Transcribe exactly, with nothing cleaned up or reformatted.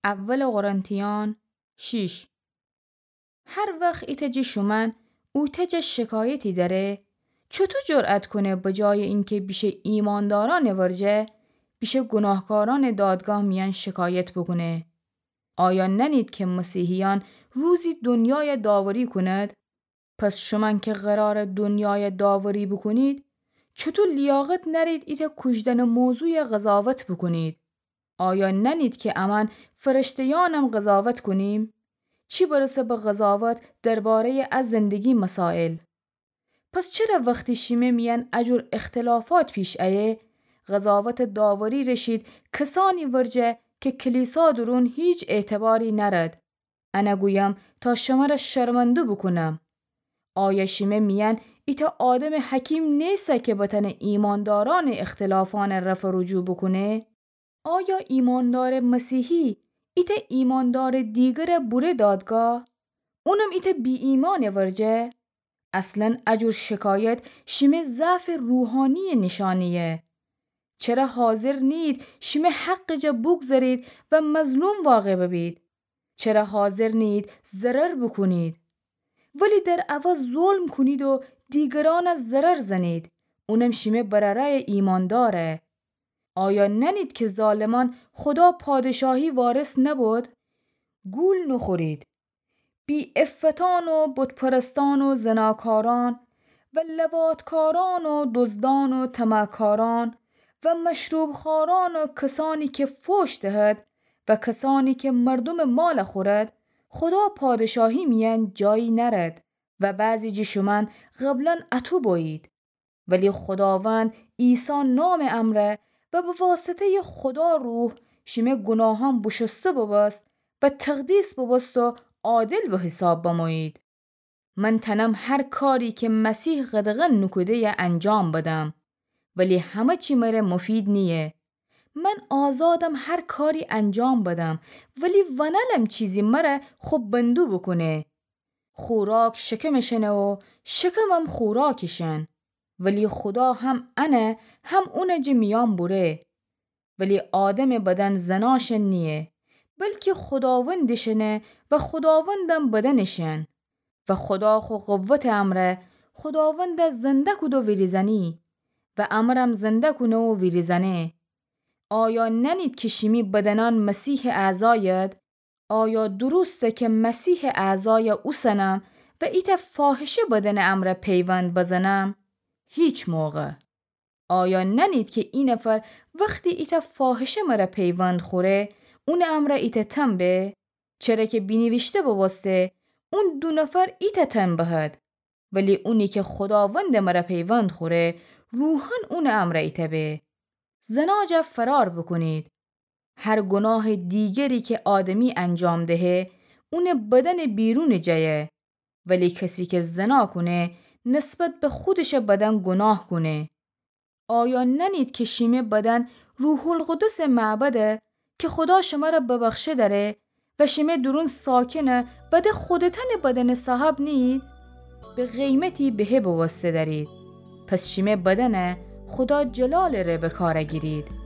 اول قرنتیان شیش. هر وخت ایتأ جٚه شومأن اوتأ جا شکایتی دأره، چوطو جرأت کونه به جای اینکه بیشه ایماندارأنٚ ورجه، بیشه گوناهکارأنٚ دادگاه میأن شکایت بوکونه؟ آیا نأنید که مسیحیأن روزی دنیای داوری کونید؟ پس شومأن که قرارٚ دنیای داوری بوکونید، چوطو لیاقت نأرید ایتأ کوشدنٚ موضوعی قضاوت بوکونید؟ آیا نأنید که امأن فرشته‌یأنم قضاوت کونیم؟ چی برسه به قضاوت درباره‌یٚ ا زندگی مسائل؟ پس چره وختی شیمه میأن ا جور اختلافات پیش ایه، قضاوتٚ داوری رشید کسأنی ورجه که کلیسا دورون هیچ اعتباری نأرد؟ انه گویم تا شمره شرمنده بوکونم. آیا شیمه میأن ایتأ آدمٚ حکیم نیسه که بتأنه ایماندارأنٚ اختلافأن رفع و رجوع بوکونه؟ آیا ایماندارٚ مسیحی ایتأ ایماندارٚ دیگره بوره دادگاه، اونم ایتأ بی‌ایمأنٚ ورجه؟ اصلاً ا جور شکایت شیمه ضعفٚ روحانی‌یٚ نیشأنه‌یه. چره حاضر نیید شیمه حقٚ جا بوگذرید و مظلوم واقع ببید؟ چره حاضر نیید ضرر بوکونید؟ ولی در عوض ظلم کونید و دیگرأن ضرر زنید، اونم شیمه برأرأیٚ ایمانداره. آیا نأنید که ظالمأن خودا پادشاهی وارث نبود؟ گول نوخورید. بی‌عفتأن و بت‌پرستأن و زناکارأن و لواط‌کارأن و دزدأن و طمعکارأن و مشروب‌خوأرأن و کسأنی که فحش دهد و کسأنی که مردومٚ مال خورد، خودا پادشاهی میأن جایی نأرد و بعضی جٚه شومأن قبلاً اطو بویید. ولی خوداوند عیسی نامٚ امرأ و به واسطه‌یٚ خودا روح شیمه گوناهأن بوشوسته بوبوست و تقدیس بوبوست و عادل به حساب بمویید. من تأنم هر کاری که مسیح قدغن نوکوده‌یه انجام بدم، ولی همه چی مره مفید نییه. من آزادم هر کاری انجام بدم، ولی ونألم چیزی مره خو بندو بوکونه. خوراک شکمٚ شنه و شکمم خوراکٚ شن. ولی خودا هم انه هم اونٚ جٚه میأن بوره. ولی آدمٚ بدن زناشن نییه، بلکی خوداوندٚ شنه و خوداوندم بدنٚ شن. و خودا خو قوتٚ امرأ خوداوند زنده کوده ویریزأنی و امرم زنده کونه و ویریزأنه. آیا نأنید که شیمی بدنأن مسیحٚ اعضاید؟ آیا درسته که مسیحٚ اعضای اوسنم و ایتأ فاحشه بدنٚ امرأ پیوند بزنم؟ هیچ موقع. آیا نأنید که اینفر وختی ایتأ فاحشه مره پیوند خوره، اونٚ امرأ ایتأ تن به؟ چره که بینیویشته بوبوسته، اون دو نفر ایتأ تن بهد. ولی اونی که خوداوندٚ مره پیوند خوره، روحاً اونٚ امرأ ایتأ به. زنا جا فرار بوکونید. هر گوناهٚ دیگری که آدمی انجام دهه، اونٚ بدنٚ بیرونٚ جایه. ولی کسی که زنا کونه، نسبت به خودشٚ بدن گوناه کونه. آیا نأنید که شیمه بدن روح‌القدسٚ معبده که خودا شمره ببخشه دأره و شیمه دورون ساکنه و ده خودتأنٚ بدنٚ صاحب نیید؟ به قیمتی بهه بوسته دأرید. پس شیمه بدنه خودا جلالٚ ره به کار گیرید.